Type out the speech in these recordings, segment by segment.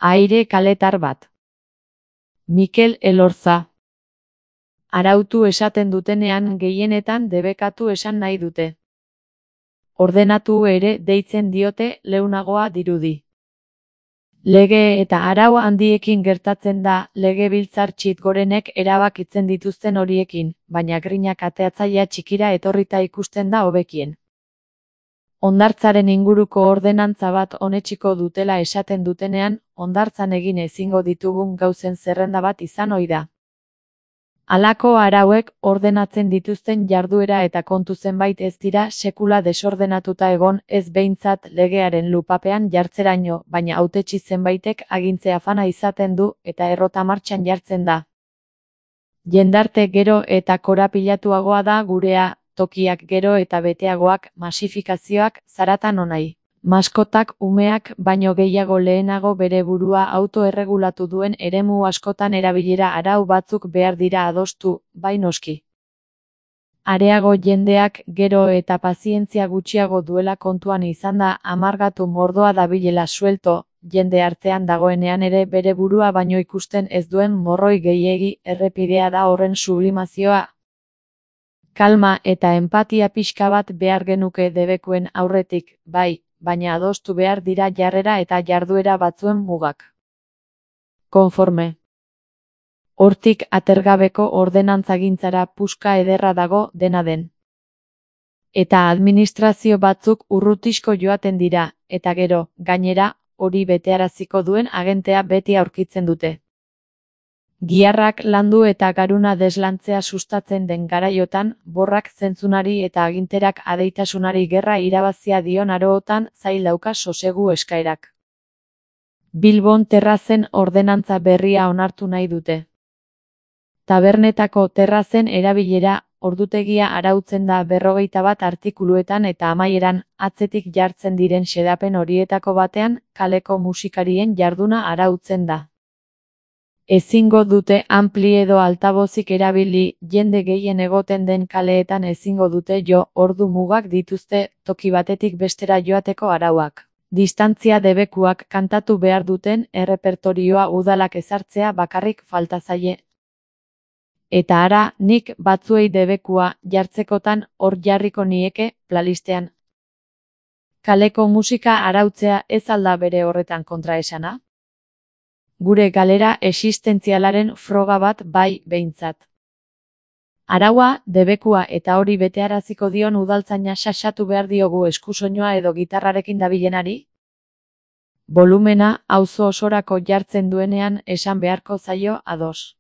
Aire kaletar bat. Mikel Elorza. Arautu esaten dutenean gehienetan debekatu esan nahi dute. Ordenatu ere deitzen diote leunagoa dirudi. Lege eta arau handiekin gertatzen da legebiltzar txit-gorenek erabakitzen dituzten horiekin, baina grinak ateatzailea txikira etorrita ikusten da hobekien. Hondartzaren inguruko ordenantza bat onetsiko dutela esaten dutenean, hondartzan egin ezingo ditugun gauzen zerrenda bat izan ohi da. Halako arauek ordenatzen dituzten jarduera eta kontu zenbait ez dira sekula desordenatuta egon, ez behintzat legearen lupapean jartzeraino, baina hautetsi zenbaitek agintze afana izaten du eta errota martxan jartzen da. Jendarte gero eta korapilatuagoa da gurea, tokiak gero eta beteagoak, masifikazioak, zaratan onai. Maskotak umeak baino gehiago lehenago bere burua autoerregulatu duen eremu askotan erabilera arau batzuk behar dira adostu, bai noski. Areago jendeak gero eta pazientzia gutxiago duela kontuan izan da amargatu mordoa dabilela suelto, jende artean dagoenean ere bere burua baino ikusten ez duen morroi gehiegi errepidea da horren sublimazioa. Kalma eta enpatia pixka bat behar genuke debekuen aurretik, bai, baina adostu behar dira jarrera eta jarduera batzuen mugak. Konforme. Hortik atergabeko ordenantzagintzara puska ederra dago dena den. Eta administrazio batzuk urrutisko joaten dira, eta gero, gainera, hori betearaziko duen agentea beti aurkitzen dute. Giharrak landu eta garuna deslantzea sustatzen den garaiotan, borrak zentzunari eta aginterak adeitasunari gerra irabazia dion arootan zail dauka sosegu eskaerak. Bilbon terrazen ordenantza berria onartu nahi dute. Tabernetako terrazen erabilera, ordutegia arautzen da 51 artikuluetan eta amaieran, atzetik jartzen diren xedapen horietako batean, kaleko musikarien jarduna arautzen da. Ezingo dute ampli edo altabozik erabili, jende gehien egoten den kaleetan ezingo dute jo, ordu mugak dituzte, toki batetik bestera joateko arauak. Distantzia debekuak kantatu behar duten errepertorioa udalak ezartzea bakarrik falta zaie. Eta ara, nik batzuei debekua jartzekotan hor jarriko nieke playlistean. Kaleko musika arautzea ez alda bere horretan kontraesana? Gure galera existentzialaren froga bat bai behintzat. Araua, debekua eta hori betearaziko dion udaltzaina xaxatu behar diogu eskusoinua edo gitarrarekin dabilenari? Volumena auzo osorako jartzen duenean esan beharko zaio ados.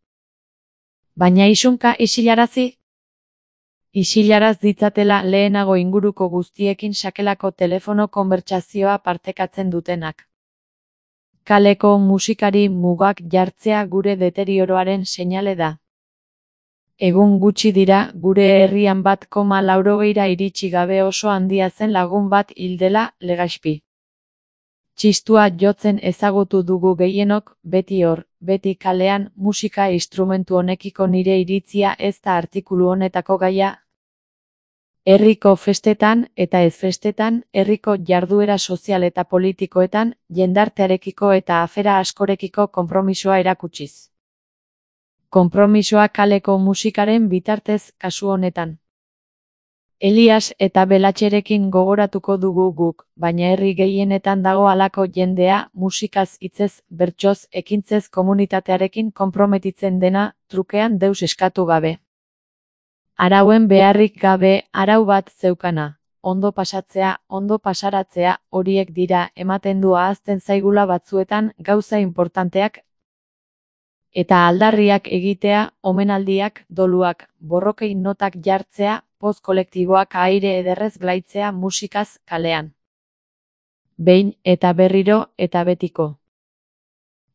Baina isunka isilarazi? Isilaraz ditzatela lehenago inguruko guztiekin sakelako telefono konbertsazioa partekatzen dutenak. Kaleko musikari mugak jartzea gure deterioroaren seinale da. Egun gutxi dira gure herrian 1,80 iritsi gabe oso handia zen lagun bat hil dela Legaspi. Txistua jotzen ezagutu dugu gehienok, beti hor, beti kalean, musika instrumentu honekiko nire iritzia ez da artikulu honetako gaia. Herriko festetan eta ez festetan, herriko jarduera sozial eta politikoetan, jendartearekiko eta afera askorekiko konpromisoa erakutsiz. Konpromisoa kaleko musikaren bitartez kasu honetan. Elias eta Belatxerekin gogoratuko dugu guk, baina herri gehienetan dago halako jendea, musikaz hitzez, bertsoz, ekintzez komunitatearekin konprometitzen dena, trukean deus eskatu gabe. Arauen beharrik gabe arau bat zeukana. Ondo pasatzea, ondo pasaratzea, horiek dira ematen du ahazten zaigula batzuetan gauza importanteak. Eta aldarriak egitea, omenaldiak, doluak, borrokei notak jartzea, poz kolektiboak aire ederrez glaitzea musikaz kalean. Behin eta berriro eta betiko.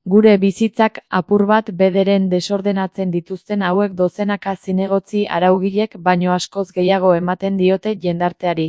Gure bizitzak apur bat bederen desordenatzen dituzten hauek dozenaka zinegotzi araugilek baino askoz gehiago ematen diote jendarteari.